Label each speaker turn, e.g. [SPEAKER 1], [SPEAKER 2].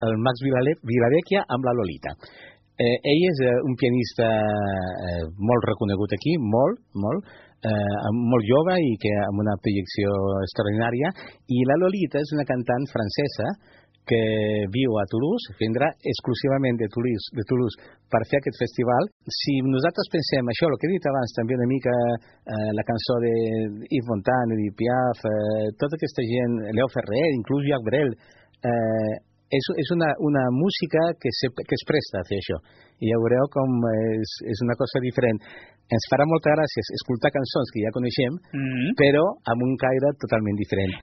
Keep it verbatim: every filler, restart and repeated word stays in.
[SPEAKER 1] el Max Vilavecchia amb la Lolita. Eh, ell és eh, un pianista eh, molt reconegut aquí, molt, molt, eh, molt jove i que amb una projecció extraordinària, i la Lolita és una cantant francesa que viu a Toulouse, vindrà exclusivament de Toulouse, de Toulouse per fer aquest festival. Si nosaltres pensem això, el que he dit abans, també una mica eh, la cançó de Yves Montand, de Piaf, eh, tota aquesta gent, Leo Ferrer, inclús Jacques Brel, eh, és, és una, una música que, se, que es presta a fer això. I ja veureu com és, és una cosa diferent. Ens farà molta gràcia escoltar cançons que ja coneixem, mm-hmm. però amb un caire totalment diferent.